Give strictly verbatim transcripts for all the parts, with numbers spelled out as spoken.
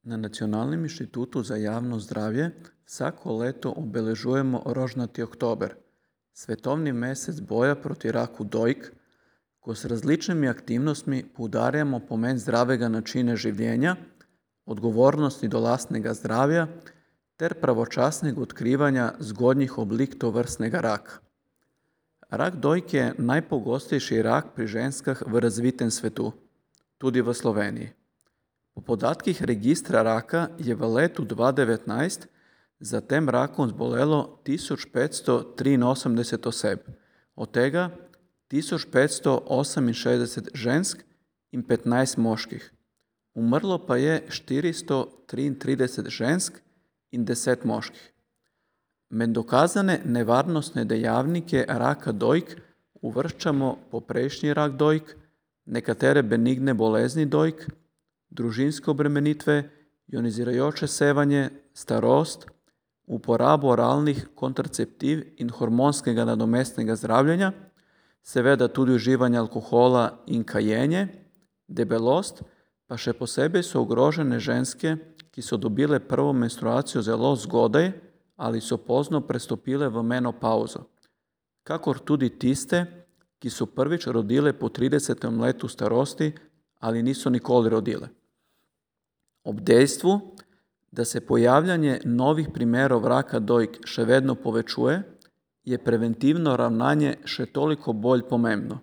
Na Nacionalnem inštitutu za javno zdravje vsako leto obeležujemo rožnati oktober, svetovni mesec boja proti raku dojk, ko s različnimi aktivnostmi poudarjamo pomen zdravega načina življenja, odgovornosti do lastnega zdravja ter pravočasnega odkrivanja zgodnjih oblik tovrstnega raka. Rak dojk je najpogostejši rak pri ženskah v razvitem svetu, tudi v Sloveniji. Po podatkih registra raka je v letu dva tisoč devetnajst za tem rakom zbolelo tisoč petsto triinosemdeset oseb, od tega tisoč petsto oseminšestdeset žensk in petnajst moških. Umrlo pa je štiristo triintrideset žensk in deset moških. Med dokazane nevarnostne dejavnike raka dojk uvrščamo poprejšnji rak dojk, nekatere benigne bolezni dojk, družinske obremenitve, ionizirajoče sevanje, starost, uporabo oralnih kontraceptiv in hormonskega nadomestnega zdravljenja, seveda tudi uživanje alkohola in kajenje, debelost, pa še posebej so ogrožene ženske, ki so dobile prvo menstruacijo zelo zgodaj ali so pozno prestopile v menopavzo, kakor tudi tiste, ki so prvič rodile po tridesetem letu starosti ali niso nikoli rodile. Ob dejstvu, da se pojavljanje novih primerov raka dojk še vedno povečuje, je preventivno ravnanje še toliko bolj pomembno.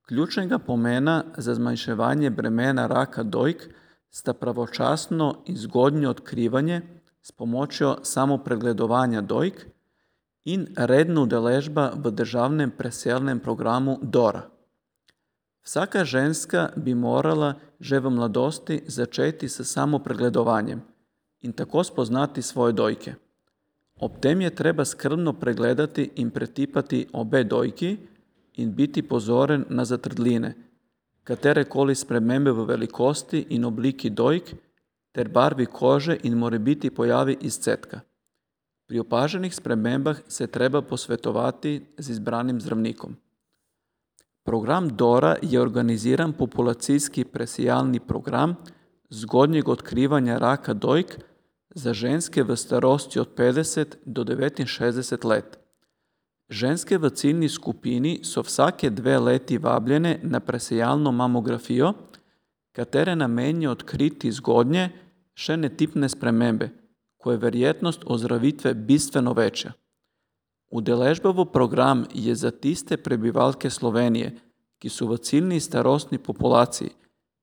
Ključnega pomena za zmanjševanje bremena raka dojk sta pravočasno in zgodnje odkrivanje s pomočjo samopregledovanja dojk in redna udeležba v državnem presejalnem programu Dora. Vsaka ženska bi morala že v mladosti začeti s samopregledovanjem in tako spoznati svoje dojke. Ob tem je treba skrbno pregledati in pretipati obe dojki in biti pozoren na zatrdline, katerekoli spremembe v velikosti in obliki dojk ter barvi kože in morebiti pojavi izcedka. Pri opaženih spremembah se treba posvetovati z izbranim zdravnikom. Program Dora je organiziran populacijski presejalni program zgodnjega odkrivanja raka dojk za ženske v starosti od petdeset do devetinšestdeset let. Ženske v ciljni skupini so vsake dve leti vabljene na presejalno mamografijo, katere namen je odkriti zgodnje, še netipne spremembe, ko je verjetnost ozdravitve bistveno večja. Udeležba v program je za tiste prebivalke Slovenije, ki so v ciljni starostni populaciji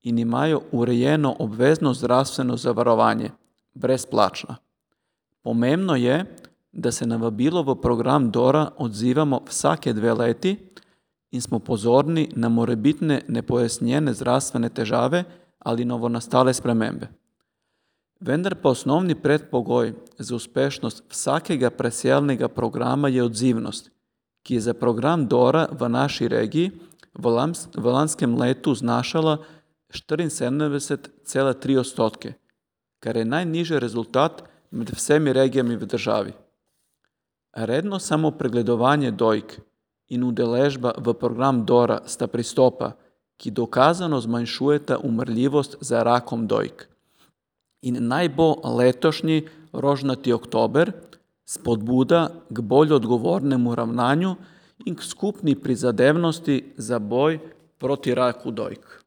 in imajo urejeno obvezno zdravstveno zavarovanje, brezplačna. Pomembno je, da se na vabilo v program Dora odzivamo vsake dve leti in smo pozorni na morebitne nepojasnjene zdravstvene težave ali novonastale spremembe. Vendar pa osnovni predpogoj za uspešnost vsakega presejalnega programa je odzivnost, ki je za program Dora v naši regiji v, lans, v lanskem letu znašala štiriinsedemdeset cela tri odstotke, kar je najnižji rezultat med vsemi regijami v državi. Redno samopregledovanje dojk in udeležba v program Dora sta pristopa, ki dokazano zmanjšujeta umrljivost za rakom dojk. In naj bo letošnji rožnati oktober spodbuda k bolj odgovornemu ravnanju in k skupni prizadevnosti za boj proti raku dojk.